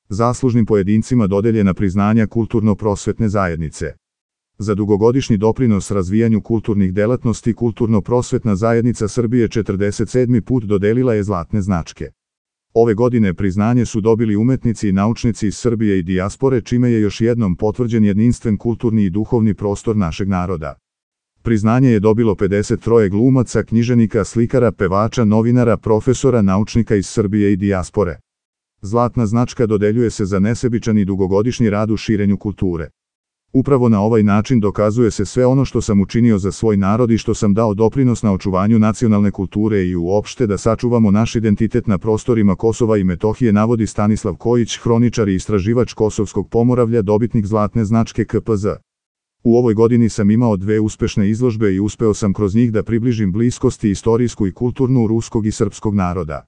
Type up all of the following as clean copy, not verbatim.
Zaslužnim pojedincima dodeljena priznanja kulturno-prosvetne zajednice. Za dugogodišnji doprinos razvijanju kulturnih delatnosti Kulturno-prosvetna zajednica Srbije 47. put dodelila je zlatne značke. Ove godine priznanje su dobili umetnici i naučnici iz Srbije i dijaspore, čime je još jednom potvrđen jedinstven kulturni i duhovni prostor našeg naroda. Priznanje je dobilo 53 glumaca, književnika, slikara, pevača, novinara, profesora, naučnika iz Srbije i dijaspore. Zlatna značka dodeljuje se za nesebičan i dugogodišnji rad u širenju kulture. Upravo na ovaj način dokazuje se sve ono što sam učinio za svoj narod i što sam dao doprinos na očuvanju nacionalne kulture i uopšte da sačuvamo naš identitet na prostorima Kosova i Metohije, navodi Stanislav Kojić, hroničar i istraživač Kosovskog Pomoravlja, dobitnik zlatne značke KPZ. U ovoj godini sam imao 2 uspešne izložbe i uspeo sam kroz njih da približim bliskosti istorijsku i kulturnu ruskog i srpskog naroda.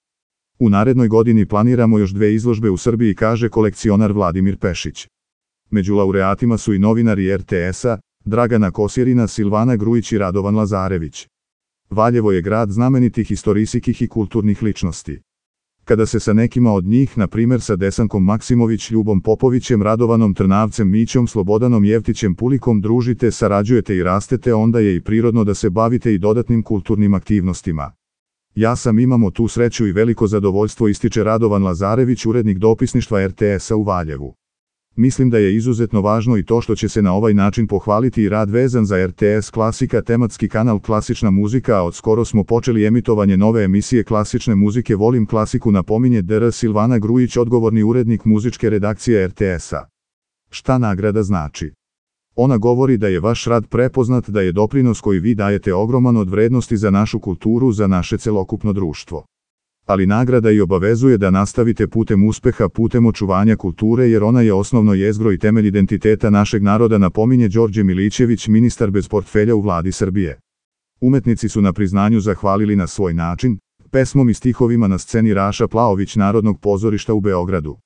U narednoj godini planiramo još 2 izložbe u Srbiji, kaže kolekcionar Vladimir Pešić. Među laureatima su i novinari RTS-a, Dragana Kosjerina, Silvana Grujić i Radovan Lazarević. Valjevo je grad znamenitih istorijskih i kulturnih ličnosti. Kada se sa nekima od njih, na primjer sa Desankom Maksimović, Ljubom Popovićem, Radovanom Trnavcem, Mićom, Slobodanom Jevtićem, Pulikom družite, sarađujete i rastete, onda je i prirodno da se bavite i dodatnim kulturnim aktivnostima. Ja sam imamo tu sreću i veliko zadovoljstvo, ističe Radovan Lazarević, urednik dopisništva RTS-a u Valjevu. Mislim da je izuzetno važno i to što će se na ovaj način pohvaliti i rad vezan za RTS Klasika, tematski kanal Klasična muzika, a od skoro smo počeli emitovanje nove emisije klasične muzike Volim klasiku, napominje dr. Silvana Grujić, odgovorni urednik muzičke redakcije RTS-a. Šta nagrada znači? Ona govori da je vaš rad prepoznat, da je doprinos koji vi dajete ogroman od vrednosti za našu kulturu, za naše celokupno društvo. Ali nagrada i obavezuje da nastavite putem uspeha, putem očuvanja kulture, jer ona je osnovno jezgro i temelj identiteta našeg naroda, napominje Đorđe Milićević, ministar bez portfelja u Vladi Srbije. Umetnici su na priznanju zahvalili na svoj način, pesmom i stihovima na sceni Raša Plaović Narodnog pozorišta u Beogradu.